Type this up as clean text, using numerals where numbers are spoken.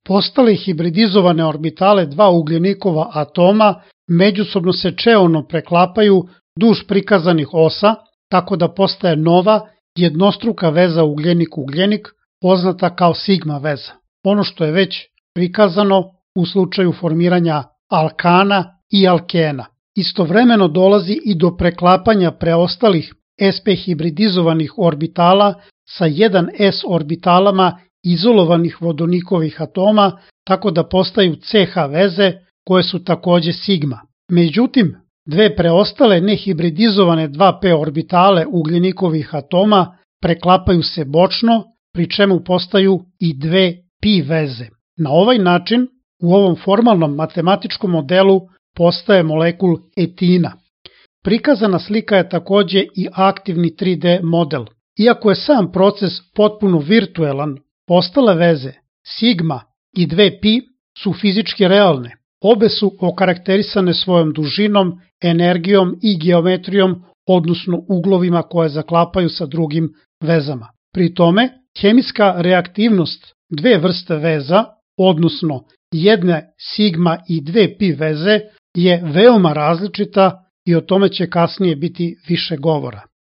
Postale hibridizovane orbitale dva ugljenikova atoma međusobno se čeono preklapaju duž prikazanih osa, tako da postaje nova jednostruka veza ugljenik-ugljenik, poznata kao sigma veza. Ono što je već prikazano u slučaju formiranja alkana i alkena. Istovremeno dolazi i do preklapanja preostalih sp hibridizovanih orbitala sa 1s orbitalama izolovanih vodonikovih atoma, tako da postaju CH veze koje su takođe sigma. Međutim, dve preostale nehibridizovane 2p orbitale ugljenikovih atoma preklapaju se bočno, pri čemu postaju i dve pi veze. Na ovaj način, u ovom formalnom matematičkom modelu postaje molekul etina. Prikazana slika je takođe i aktivni 3D model. Iako je sam proces potpuno virtuelan, ostale veze sigma i 2pi su fizički realne. Obe su okarakterisane svojom dužinom, energijom i geometrijom, odnosno uglovima koje zaklapaju sa drugim vezama. Pri tome, hemijska reaktivnost dve vrste veza, odnosno jedne sigma i 2pi veze, je veoma različita i o tome će kasnije biti više govora.